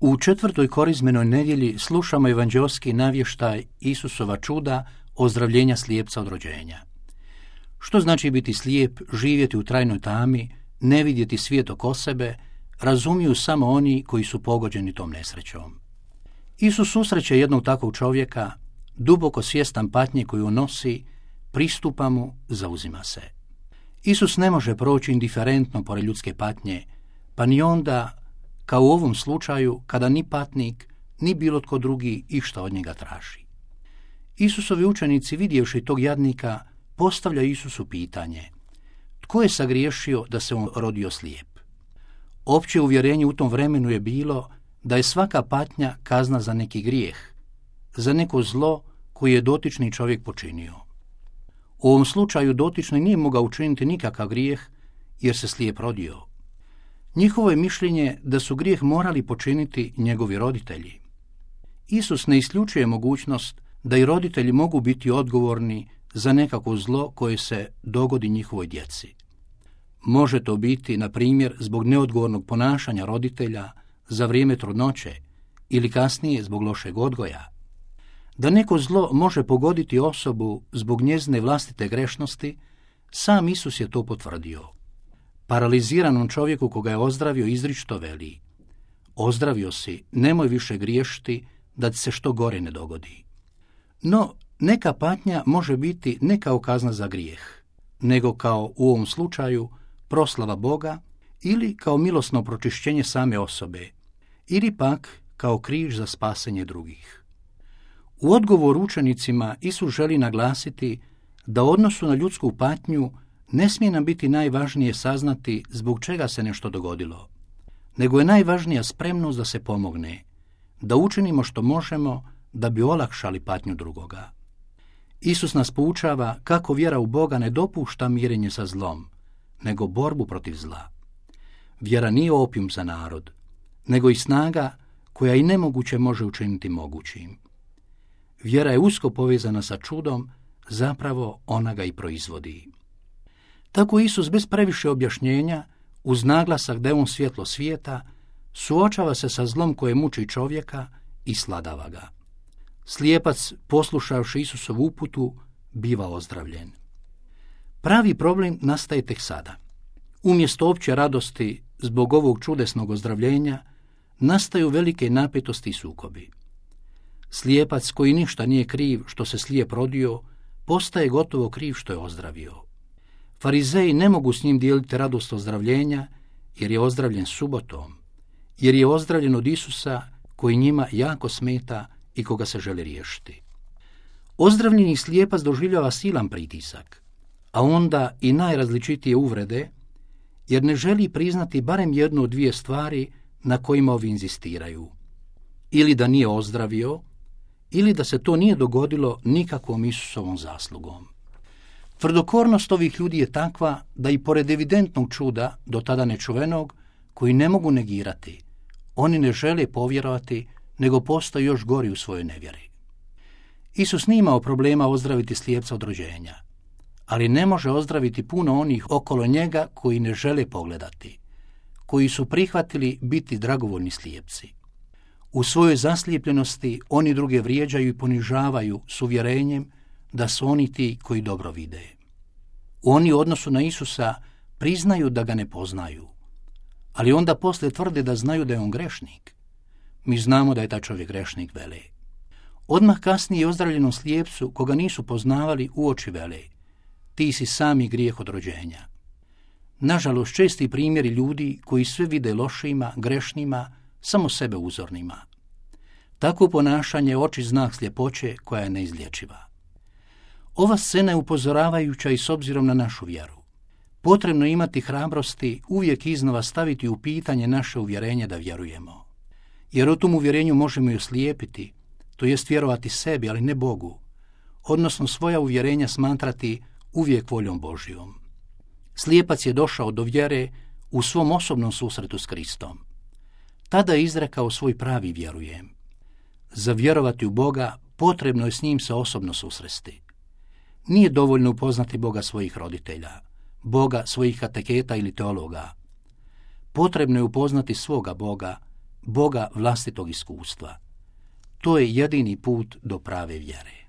U 4. korizmenoj nedjelji slušamo evanđeoski navještaj Isusova čuda ozdravljenja slijepca od rođenja. Što znači biti slijep, živjeti u trajnoj tami, ne vidjeti svijet oko sebe, razumiju samo oni koji su pogođeni tom nesrećom. Isus susreće jednog takvog čovjeka, duboko svjestan patnje koju nosi, pristupa mu, zauzima se. Isus ne može proći indiferentno pored ljudske patnje, pa ni onda, kao u ovom slučaju, kada ni patnik, ni bilo tko drugi išta od njega traži. Isusovi učenici, vidjevši tog jadnika, postavlja Isusu pitanje: tko je sagriješio da se on rodio slijep? Opće uvjerenje u tom vremenu je bilo da je svaka patnja kazna za neki grijeh, za neko zlo koje je dotični čovjek počinio. U ovom slučaju dotični nije mogao učiniti nikakav grijeh jer se slijep rodio. Njihovo je mišljenje da su grijeh morali počiniti njegovi roditelji. Isus ne isključuje mogućnost da i roditelji mogu biti odgovorni za nekako zlo koje se dogodi njihovoj djeci. Može to biti, na primjer, zbog neodgovornog ponašanja roditelja za vrijeme trudnoće ili kasnije zbog lošeg odgoja. Da neko zlo može pogoditi osobu zbog njezine vlastite grešnosti, sam Isus je to potvrdio. Paraliziranom čovjeku koga je ozdravio izričito veli: ozdravio si, nemoj više griješiti da ti se što gore ne dogodi. No, neka patnja može biti ne kao kazna za grijeh, nego kao u ovom slučaju proslava Boga ili kao milosno pročišćenje same osobe, ili pak kao križ za spasenje drugih. U odgovoru učenicima Isus želi naglasiti da u odnosu na ljudsku patnju ne smije nam biti najvažnije saznati zbog čega se nešto dogodilo, nego je najvažnija spremnost da se pomogne, da učinimo što možemo da bi olakšali patnju drugoga. Isus nas poučava kako vjera u Boga ne dopušta mirenje sa zlom, nego borbu protiv zla. Vjera nije opijum za narod, nego i snaga koja i nemoguće može učiniti mogućim. Vjera je usko povezana sa čudom, zapravo ona ga i proizvodi. Tako Isus bez previše objašnjenja, uz naglasak da je on svjetlo svijeta, suočava se sa zlom koje muči čovjeka i sladava ga. Slijepac, poslušavši Isusovu uputu, biva ozdravljen. Pravi problem nastaje tek sada. Umjesto opće radosti zbog ovog čudesnog ozdravljenja, nastaju velike napetosti i sukobi. Slijepac, koji ništa nije kriv što se slijep rodio, postaje gotovo kriv što je ozdravio. Farizeji ne mogu s njim dijeliti radost ozdravljenja, jer je ozdravljen subotom, jer je ozdravljen od Isusa koji njima jako smeta i koga se želi riješiti. Ozdravljeni slijepac doživljava silan pritisak, a onda i najrazličitije uvrede, jer ne želi priznati barem jednu od dvije stvari na kojima ovi inzistiraju. Ili da nije ozdravio, ili da se to nije dogodilo nikakvom Isusovom zaslugom. Tvrdokornost ovih ljudi je takva da i pored evidentnog čuda, do tada nečuvenog, koji ne mogu negirati, oni ne žele povjerovati, nego postaju još gori u svojoj nevjeri. Isus nije imao problema ozdraviti slijepca od rođenja, ali ne može ozdraviti puno onih okolo njega koji ne žele pogledati, koji su prihvatili biti dragovoljni slijepci. U svojoj zaslijepljenosti oni druge vrijeđaju i ponižavaju s uvjerenjem da su oni ti koji dobro vide. Oni u odnosu na Isusa priznaju da ga ne poznaju, ali onda poslije tvrde da znaju da je on grešnik. Mi znamo da je taj čovjek grešnik, vele. Odmah kasnije ozdravljenom slijepcu, koga nisu poznavali, uoči vele: ti si sami grijeh od rođenja. Nažalost, česti primjeri ljudi koji sve vide lošima, grešnima, samo sebe uzornima. Takvo ponašanje je oči znak sljepoće koja je neizlječiva. Ova scena je upozoravajuća i s obzirom na našu vjeru. Potrebno je imati hrabrosti uvijek iznova staviti u pitanje naše uvjerenje da vjerujemo. Jer o tom uvjerenju možemo i oslijepiti, to jest vjerovati sebi, ali ne Bogu, odnosno svoja uvjerenja smatrati uvijek voljom Božjom. Slijepac je došao do vjere u svom osobnom susretu s Kristom. Tada je izrekao svoj pravi vjerujem. Za vjerovati u Boga potrebno je s njim se osobno susresti. Nije dovoljno upoznati Boga svojih roditelja, Boga svojih kateketa ili teologa. Potrebno je upoznati svoga Boga, Boga vlastitog iskustva. To je jedini put do prave vjere.